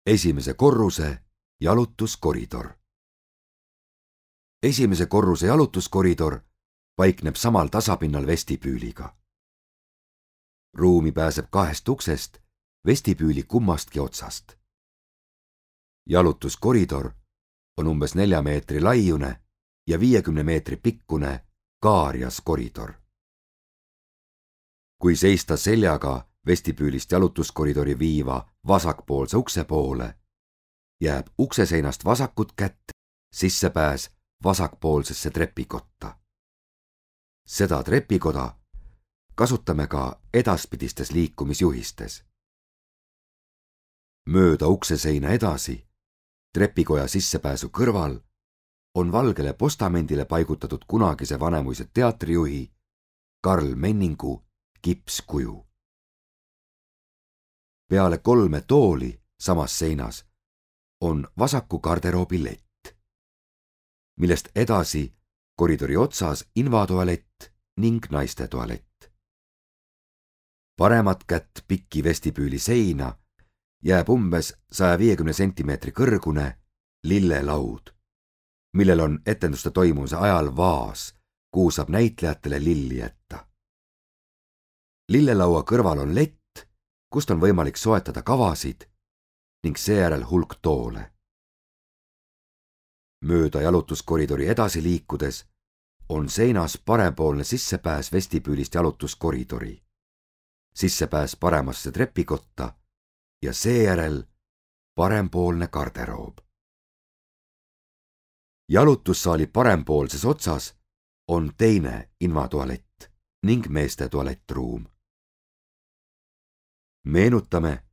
Esimese korruse jalutuskoridor. Esimese korruse jalutuskoridor paikneb samal tasapinnal vestibüüliga. Ruumi pääseb 2 uksest vestibüüli kummastki otsast. Jalutuskoridor on umbes 4 meetri laiune ja 50 meetri pikkune kaarjas koridor. Kui seista seljaga vestibüülist jalutuskoridori viiva vasakpoolse ukse poole, jääb ukseseinast vasakut kätt sissepääs vasakpoolsesse trepikotta. Seda trepikoda kasutame ka edaspidistes liikumisjuhistes. Mööda ukseseina edasi, trepikoja sissepääsu kõrval, on valgele postamendile paigutatud kunagise Vanemuise teatrijuhi Karl Menningu kipskuju. Peale 3 tooli samas seinas on vasaku garderoobi lett, millest edasi koridori otsas invatualett ning naiste tualett. Paremat kätt pikki vestibüüli seina jääb umbes 150 sentimeetri kõrgune lillelaud, millel on etenduste toimumise ajal vaas, kuhu saab näitlejatele lilli jätta. Lillelaua kõrval on lett, kust on võimalik soetada kavasid ning seejärel hulk toole. Mööda jalutuskoridori edasi liikudes on seinas parempoolne sissepääs vestibüülist jalutuskoridori, sissepääs paremasse trepikotta ja seejärel parempoolne garderoob. Jalutussaali parempoolses otsas on teine invatualett ning meeste tualettruum. Meenutame,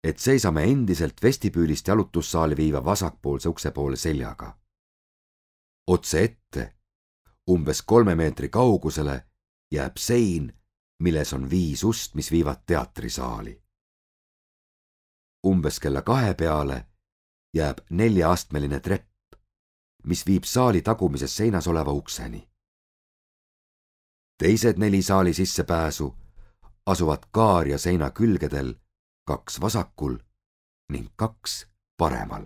et seisame endiselt vestibüülist jalutussaali viiva vasakpoolse ukse poole seljaga. Otse ette, umbes 3 meetri kaugusele, jääb sein, milles on 5 ust, mis viivad teatrisaali. Umbes kella 2 peale jääb 4-astmeline trepp, mis viib saali tagumises seinas oleva ukseni. Teised 4 saali sissepääsu asuvad kaarja seina külgedel, 2 vasakul ning 2 paremal.